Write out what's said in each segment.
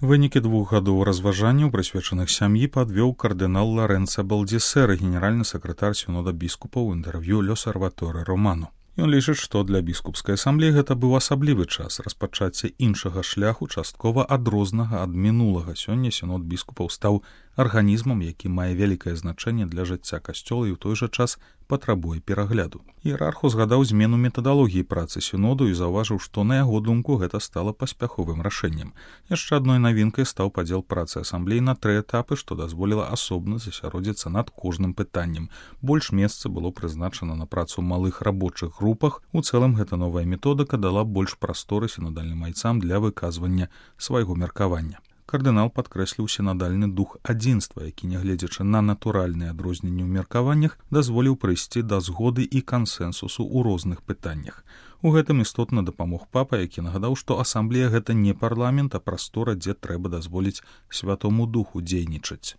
Вынікі 2 гадоў разважанняў, прысвечаных сям'і, падвёў кардынал Лоренцо Балдисера, генеральны сакратар сінода біскупаў, у інтэрв'ю «L'Osservatore Romano». Ён лічыць, што для біскупскай асамблеі гэта быў асаблівы час распачацця іншага шляху, часткова адрознага ад мінулага. Сёння сінод біскупаў стаў арганізмам, які мае вялікае значэнне для жыцця касцёла і ў той жа час патрабуе перагляду. Іерарх узгадаў змену метадалогіі працы сіноду і заўважыў, што на яго думку гэта стала паспяховым рашэннем. Яшчэ адной навінкай стаў падзел працы асамблеі на 3 этапы, што дазволіла асобна засяродзіцца над кожным пытаннем. Больш месца было прызначана на працу малых рабочых групах. У цэлым гэта новая методыка дала больш прасторы сінадальным айцам для выказвання свайго меркавання. Кардынал падкрэсліў сінадальны дух адзінства, які, нягледзячы на натуральныя адрозненні ў меркаваннях, дазволіў прыйсці да згоды і кансэнсусу ў розных пытаннях. У гэтым істотна дапамог папа, які нагадаў, што асамблея гэта не парламент, а прастора, дзе трэба дазволіць святому духу дзейнічаць.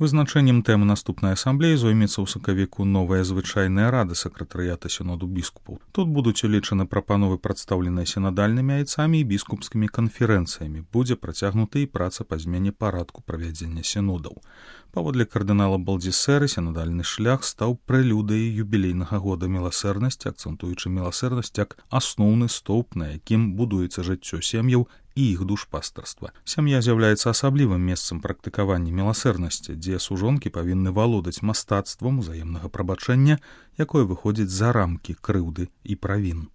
Вызначэннем тэмы наступнай асамблеі зоймецца ў сакавіку новая звычайная рада сакратарыята сіноду біскупаў. Тут будуць улічаны прапановы, прадстаўленыя сінадальнымі айцамі і біскупскімі канферэнцыямі. Будзе працягнута і праца па змене парадку правядзення сінодаў. Паводле кардынала Балдисера, сінадальны шлях стаў прэлюдыяй юбілейнага года міласэрнасці, акцэнтуючы міласэрнасць як асноўны стоўп, на якім будуецца жыццё сем'яў і іх душпастарства. Сям'я з'яўляецца асаблівым месцам практыкавання міласэрнасці, дзе сужонкі павінны валодаць мастацтвам узаемнага прабачэння, якое выходзіць за рамкі крыўды і правін.